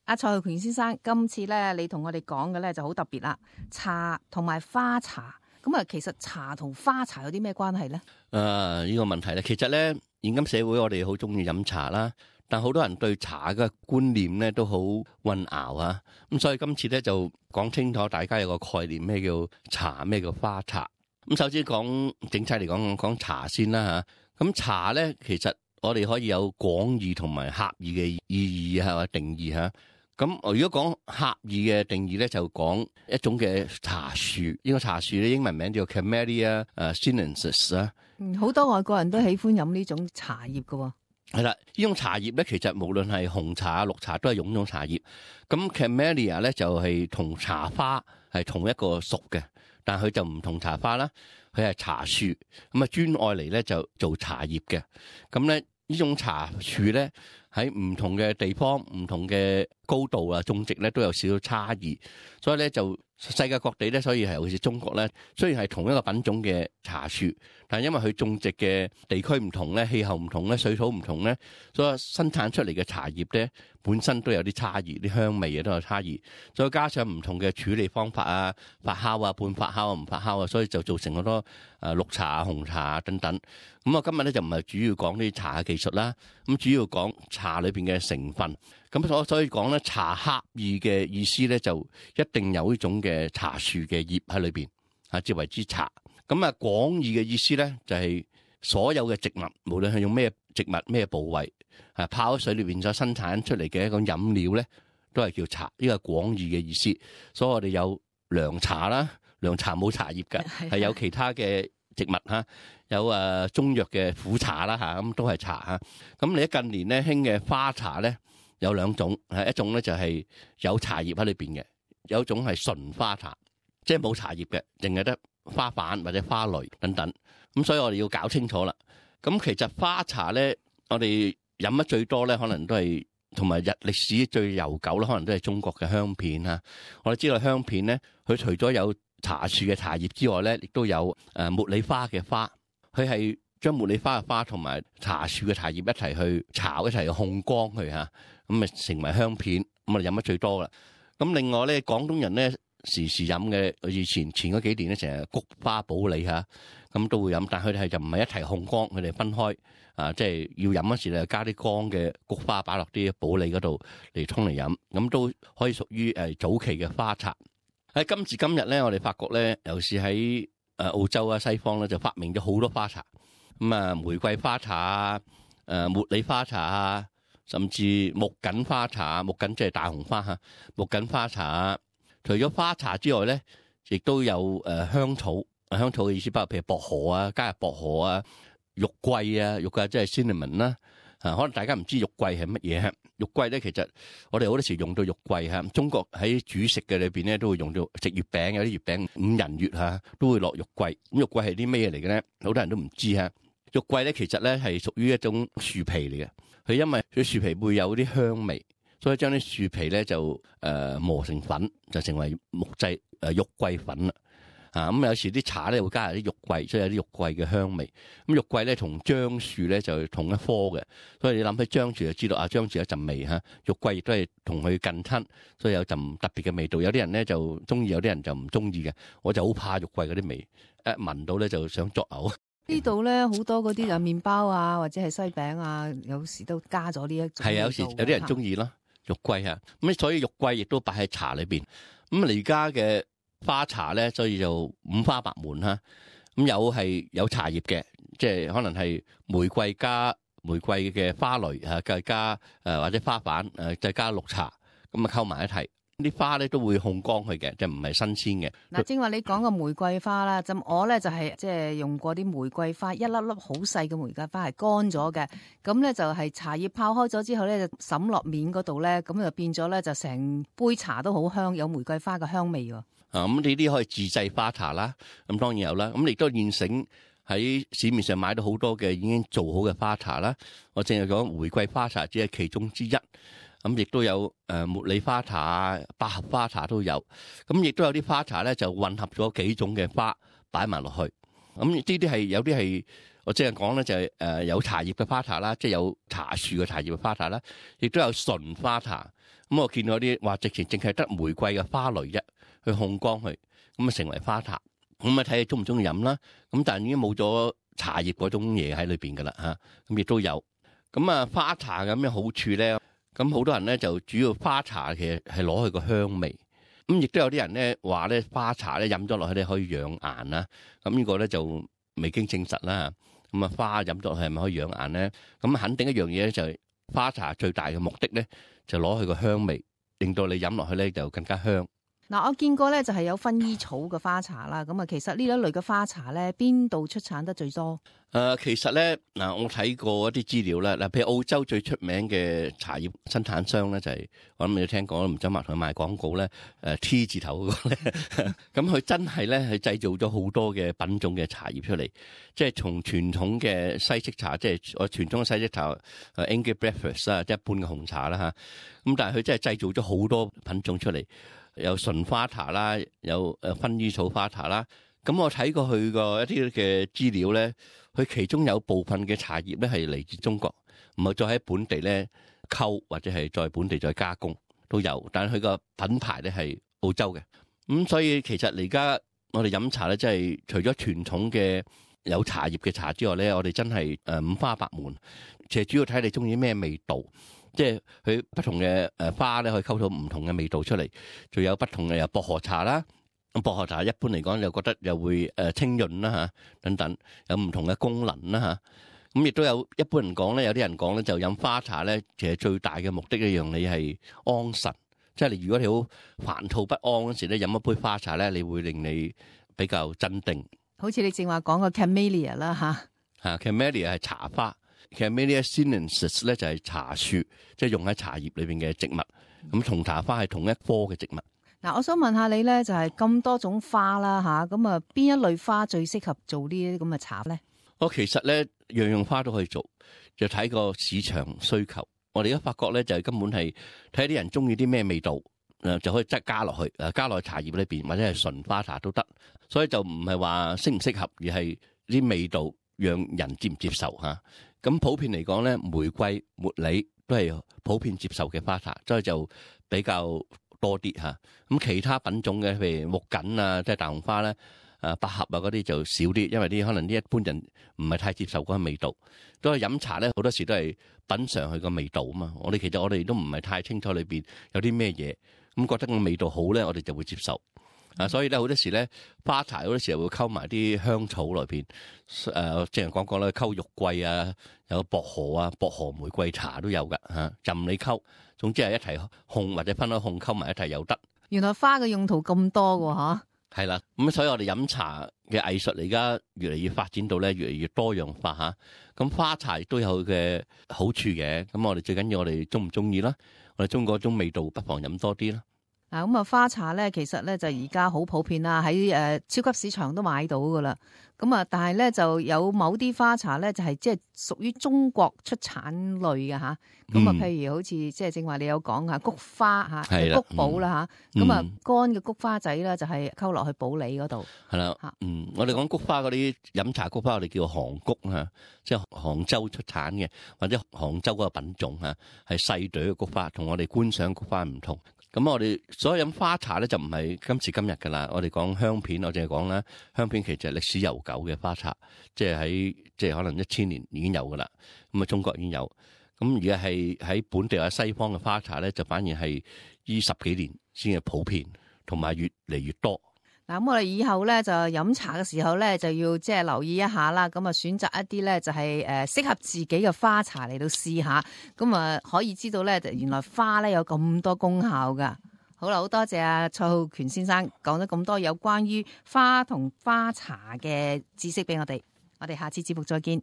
阿蔡浩權先生，今次咧你同我哋講嘅咧就好特別啦，茶同埋花茶。咁啊，其實茶同花茶有啲咩關係咧？呢個問題咧，其實咧現今社會我哋好中意飲茶啦，但好多人對茶嘅觀念咧都好混淆啊。咁所以今次咧就講清楚，大家有個概念，咩叫茶，咩叫花茶。咁首先講整體嚟講茶先啦嚇。咁茶咧，其實我哋可以有廣義同埋狹義嘅意義或者定義嚇。咁如果講狹義嘅定義咧，就講一種嘅茶樹。呢個茶樹咧，英文名叫 Camellia sinensis 啊。好多外國人都喜歡飲呢種茶葉㗎喎。係啦，呢種茶葉咧，其實無論係紅茶、綠茶都係用呢種茶葉。咁 Camellia 咧就係同茶花係同一個屬嘅，但係佢就唔同茶花啦，佢係茶樹。咁啊專愛嚟咧就做茶葉嘅。咁咧呢種茶樹咧喺唔同嘅地方、唔同嘅高度啊種植咧都有少少差異，所以咧就世界各地咧，所以係好似中國咧，雖然係同一個品種嘅茶樹，但係因為佢種植嘅地區唔同咧、氣候唔同咧、水土唔同咧，所以生產出嚟嘅茶葉咧本身都有啲差異，啲香味啊都有差異，再加上唔同嘅處理方法啊、發酵啊、半發酵啊、唔發酵啊，所以就造成好多綠茶啊、紅茶啊等等。咁我今日咧就唔係主要講啲茶嘅技術啦，咁主要講茶裏邊嘅成分。咁所以講咧，茶狹義嘅意思咧，就一定有呢種嘅茶樹嘅葉喺裏邊啊，至為之茶。咁啊，廣義嘅意思咧，就係所有嘅植物，無論係用咩植物、咩部位啊，泡喺水裏邊所生產出嚟嘅一個飲料咧，都係叫茶。呢個係廣義嘅意思。所以我哋有涼茶啦，涼茶冇茶葉㗎，係有其他嘅植物嚇，有中藥嘅苦茶啦嚇，咁都係茶嚇。咁你近年咧興嘅花茶咧，有兩種，一種咧就係有茶葉喺裏邊嘅，有一種係純花茶，即係冇茶葉嘅，淨係得花瓣或者花蕾等等。咁所以我哋要搞清楚啦。咁其實花茶咧，我哋飲得最多咧，可能都係同埋歷史最悠久啦，可能都係中國嘅香片嚇。我哋知道香片咧，佢除咗有茶樹嘅茶葉之外咧，亦都有茉莉花嘅花，佢係將茉莉花嘅花同埋茶樹嘅茶葉一齊去炒，一齊去烘乾佢嚇。咁啊成為香片，咁啊飲得最多啦。咁另外咧，廣東人咧時飲嘅，以前嗰幾年咧成日菊花普洱嚇，咁都會飲，但佢哋就唔係一齊烘乾，佢哋分開啊，即係要飲嗰時咧加啲乾嘅菊花擺落啲普洱嗰度嚟沖嚟飲，咁都可以屬於早期嘅花茶。喺今時今日咧，我哋發覺咧，尤其是喺澳洲啊、西方咧，就發明咗好多花茶。咁啊，玫瑰花茶啊、茉莉花茶啊，甚至木槿花茶，木槿即係大紅花嚇，木槿花茶。除咗花茶之外咧，亦都有香草。香草嘅意思包括譬如薄荷啊，加入薄荷啊、肉桂啊，肉桂即係 cinnamon 啦。可能大家唔知肉桂係乜嘢。肉桂咧，其實我哋好多時用到肉桂嚇。中國喺煮食嘅裏邊咧，都會用到食月餅，有啲月餅五仁月嚇都會落肉桂。咁肉桂係啲咩嚟嘅咧？好多人都唔知嚇。肉桂咧，其實咧係屬於一種樹皮嚟嘅。佢因為佢樹皮會有啲香味，所以將啲樹皮咧就磨成粉，就成為木製肉桂粉啦。咁有時啲茶咧會加入啲肉桂，所以有啲肉桂嘅香味。咁肉桂咧同樟樹咧就同一科嘅，所以你諗起樟樹就知道樟樹有陣味嚇。肉桂亦都係同佢近親，所以有陣特別嘅味道。有啲人咧就中意，有啲人就唔中意嘅。我就好怕肉桂嗰啲味，一聞到咧就想作嘔。呢度咧好多嗰啲麵包啊，或者係西餅啊，有時都加咗呢一種。係啊，有時有啲人中意咯，肉桂嚇。咁所以肉桂亦都擺喺茶裏邊。咁而家嘅花茶咧，所以就五花八門嚇。咁有茶葉嘅，即係可能係玫瑰加玫瑰嘅花蕾嚇，再加或者花瓣再加綠茶，咁啊溝埋一齊。啲花咧都會烘乾佢嘅，就唔係新鮮嘅。嗱，正話你講個玫瑰花啦，咁我咧就係即係用過啲玫瑰花，一粒粒好細嘅玫瑰花係乾咗嘅，咁咧就係茶葉泡開咗之後咧就滲落面嗰度咧，咁就變咗咧就成杯茶都好香，有玫瑰花嘅香味喎。咁呢啲可以自製花茶啦，咁當然有啦。咁亦都現成喺市面上買到好多嘅已經做好嘅花茶啦。我淨係講玫瑰花茶只係其中之一。咁亦都有茉莉花茶啊、百合花茶都有。咁亦都有啲花茶咧就混合咗幾種嘅花擺埋落去。咁呢啲係有啲係我淨係講咧就係有茶葉嘅花茶啦，即係有茶樹嘅茶葉嘅花茶啦。亦都有純花茶。咁我見到啲話直情淨係得玫瑰嘅花蕾啫，去烘乾佢，咁啊成為花茶。咁啊睇你中唔中意飲啦。咁但係已經冇咗茶葉嗰種嘢喺裏邊噶啦嚇。咁亦都有。咁啊花茶有咩好處咧？咁好多人咧就主要花茶其實係攞佢個香味。咁亦都有啲人咧話咧花茶咧飲咗落去咧可以養顏啦。咁呢個咧就未經證實啦。咁啊花飲咗落去係咪可以養顏咧？咁肯定一樣嘢咧就係花茶最大嘅目的咧就攞佢個香味，令到你飲落去咧就更加香。嗱，我見過咧就係有薰衣草嘅花茶啦。咁啊，其實呢一類嘅花茶咧，邊度出產得最多？其實咧嗱，我睇過一啲資料啦。嗱，譬如澳洲最出名嘅茶葉生產商咧，就係我諗你都聽講，唔使埋同佢賣廣告咧。T 字頭嗰個咧，咁佢真係咧係製造咗好多嘅品種嘅茶葉出嚟，即係從傳統嘅西式茶，即係我傳統嘅西式茶，English breakfast 啦，即係一般嘅紅茶啦嚇。咁但係佢真係製造咗好多品種出嚟。有純花茶啦，有薰衣草花茶啦。咁我睇過佢個一啲嘅資料咧，佢其中有部分嘅茶葉咧係嚟自中國，唔係再喺本地咧溝或者係在本地再加工都有，但係佢個品牌咧係澳洲嘅。咁所以其實而家我哋飲茶咧，真係除咗傳統嘅有茶葉嘅茶之外咧，我哋真係五花八門。其實主要睇你中意咩味道。即係佢不同嘅花咧，可以溝到唔同嘅味道出嚟，仲有不同嘅有薄荷茶啦。咁薄荷茶一般嚟講，又覺得又會清潤啦嚇，等等有唔同嘅功能啦嚇。咁亦都有一般人講咧，有啲人講咧就飲花茶咧，其實最大嘅目的一樣你係安神，即係你如果你好煩躁不安嗰時咧，飲一杯花茶咧，你會令你比較鎮定。好似你正話講個 Camellia 啦嚇，Camellia 係茶花。Camellia sinensis 咧就係茶樹，即係用喺茶葉裏邊嘅植物。咁同茶花係同一科嘅植物。嗱，我想問下你咧，就係咁多種花啦嚇，咁啊邊一類花最適合做呢啲咁嘅茶咧？其實咧樣樣花都可以做，就睇個市場需求。我哋而家發覺咧就係根本係睇啲人中意啲咩味道，就可以即加落去，加落去茶葉裏邊或者係純花茶都得。所以就唔係話適唔適合，而係啲味道讓人接唔接受嚇。咁普遍嚟講咧，玫瑰、茉莉都係普遍接受嘅花茶，所以就比較多啲嚇。咁其他品種嘅，譬如木槿啊，即係大紅花咧，百合啊嗰啲就少啲，因為啲可能啲一般人唔係太接受嗰個味道。都係飲茶咧，好多時都係品嚐佢個味道啊嘛。其實我哋都唔係太清楚裏邊有啲咩嘢，咁覺得個味道好咧，我哋就會接受。所以咧好多時咧花茶好多時候會溝埋啲香草裏邊，正如講過啦，溝肉桂啊，有薄荷啊，薄荷玫瑰茶都有噶嚇，任你溝，總之係一齊烘或者分開烘溝埋一齊又得。原來花嘅用途咁多㗎嚇。係啦，咁所以我哋飲茶嘅藝術而家越嚟越發展到咧，越嚟越多樣化嚇。咁花茶亦都有佢嘅好處嘅，咁我哋最緊要我哋中唔中意啦，我哋中嗰種味道，不妨飲多啲啦。嗱，咁啊花茶咧，其實咧就而家好普遍啦，喺超級市場都買到噶啦。咁啊，但係咧就有某啲花茶咧，就係即係屬於中國出產類嘅吓。咁啊，譬如好似即係正話你有講吓菊花吓，菊寶啦吓。咁啊，乾嘅菊花仔啦，就係溝落去普洱嗰度。係啦，我哋講菊花嗰啲飲茶菊花，我哋叫杭菊吓，即係杭州出產嘅，或者杭州嗰個品種吓，係細朵嘅菊花，同我哋觀賞菊花唔同。咁我哋所有飲花茶咧就唔係今時今日噶啦，我哋講香片，我淨係講啦，香片其實係歷史悠久嘅花茶，即係可能1000年已經有噶啦，咁啊中國已經有，咁而家係喺本地或者西方嘅花茶咧，就反而係呢10幾年先係普遍，同埋越嚟越多。嗱，咁我哋以後咧就飲茶嘅時候咧就要即係留意一下啦，咁啊選擇一啲咧就係適合自己嘅花茶嚟到試下，咁啊可以知道咧原來花咧有咁多功效噶。好啦，好多謝阿蔡浩權先生講咗咁多有關於花同花茶嘅知識俾我哋，我哋下次節目再見。